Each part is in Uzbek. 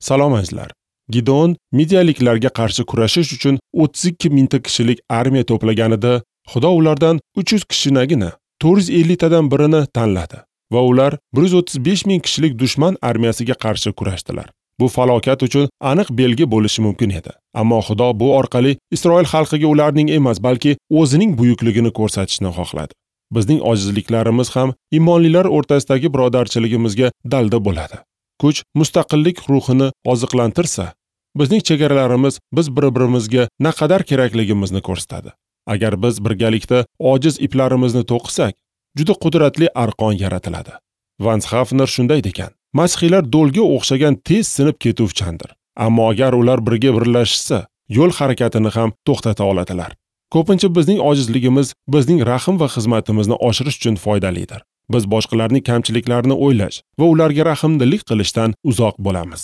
Salom azizlar. Gideon midiyaliklarga qarshi kurashish uchun 32 mingta kishilik armiya to'plaganida, Xudo ulardan 300 kishinagina 450 tadan birini tanladi va ular 135 ming kishilik dushman armiyasiga qarshi kurashdilar. Bu falokat uchun aniq belgi bo'lishi mumkin edi. Ammo Xudo bu orqali Isroil xalqiga ularning emas, balki o'zining buyukligini ko'rsatishni xohladi. Bizning ojizliklarimiz ham iymonlilar o'rtasidagi birodarchiligimizga dalda bo'ladi. Kuch mustaqillik ruhini oziqlantirsa, bizning chegaralarimiz biz bir-birimizga naqadar kerakligimizni ko'rsatadi. Agar biz birgalikda ojiz iplarimizni to'qisak, juda qudratli arqon yaratiladi. Vance Havner shunday degan: Masihiylar do'lga o'xshagan tez sinib ketuvchandir. Ammo agar ular birga birlashsa, yo'l harakatini ham to'xtata oladilar. Ko'pincha bizning ojizligimiz bizning rahm va xizmatimizni oshirish uchun foydalidir. Biz boshqalarning kamchiliklarini o'ylash va ularga rahmdillik qilishdan uzoq bo'lamiz.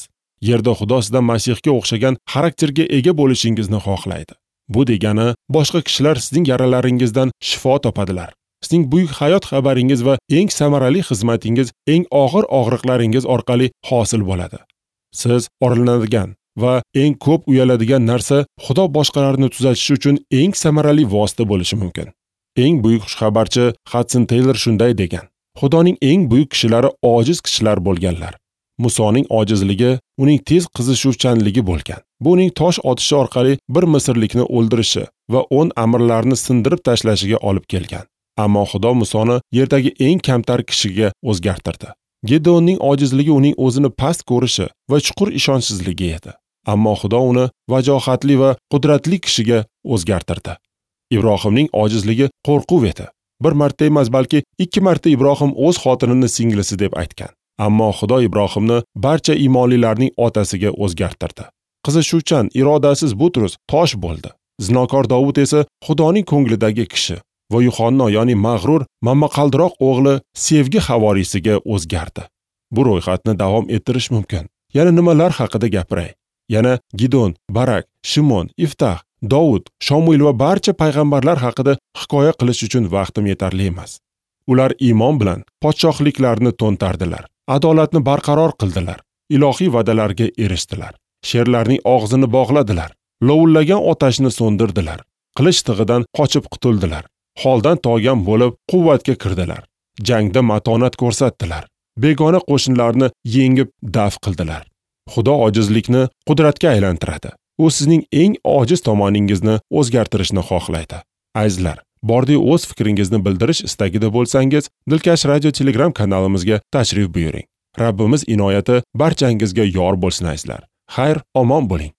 Yerda Xudo sizdan Masihga o'xshagan xarakterga ega bo'lishingizni xohlaydi. Bu degani, boshqa kishilar sizning yaralaringizdan shifo topadilar. Sizning buyuk hayot xabaringiz va eng samarali xizmatingiz eng og'ir og'riqlaringiz orqali hosil bo'ladi. Siz orlanadigan va eng ko'p uyaladigan narsa Xudo boshqalarni tuzatishi uchun eng samarali vosita bo'lishi mumkin. Eng buyuk xushxabarchi Hudson Taylor shunday degan: Xudoning eng buyuk kishilari ojiz kishilar bo'lganlar. Musoning ojizligi uning tez qizishuvchanligi bo'lgan. Bu uning tosh otishi orqali bir misrlikni o'ldirishi va 10 amirlarni sindirib tashlashiga olib kelgan. Ammo Xudo Musoni yerdagi eng kamtar kishiga o'zgartirdi. Gedeonning ojizligi uning o'zini past ko'rishi va chuqur ishonchsizligi edi. Ammo Xudo uni vajohatli va qudratli kishiga o'zgartirdi. Ibrohimning ojizligi qo'rquv edi. Bir marta emas, balki 2 marta Ibrohim o'z xotinini singlisi deb aytgan. Ammo Xudo Ibrohimni barcha iymonlilarning otasiga o'zgartirdi. Qizishuvchan, irodasiz Butrus tosh bo'ldi. Zinokor Davud esa Xudoning ko'nglidagi kishi va Yuhanno, ya'ni mag'rur momaqaldiroq o'g'li sevgi havoriysiga o'zgardi. Bu ro'yxatni davom ettirish mumkin. Yana nimalar haqida gapiray? Yana Gidon, Barak, Shimon, Iftax, Davud, Shomuil va barcha payg'ambarlar haqida hikoya qilish uchun vaqtim yetarli emas. Ular iymon bilan podshohliklarni to'ntardilar, adolatni barqaror qildilar, ilohiy va'dalarga erishdilar, sherlarning og'zini bog'ladilar, lovullagan otashni so'ndirdilar, qilich tig'idan qochib qutuldilar, holdan toygan bo'lib quvvatga kirdilar, jangda matonat ko'rsatdilar, begona qo'shinlarni yengib daf qildilar. Xudo ojizlikni qudratga aylantiradi. U sizning eng ojiz tomoningizni o'zgartirishni xohlaydi. Azizlar, bordi o'z fikringizni bildirish istagida bo'lsangiz, Dilkash Radio Telegram kanalimizga tashrif buyuring. Rabbimiz inoyati barchangizga yor bo'lsin azizlar. Xayr, omon bo'ling.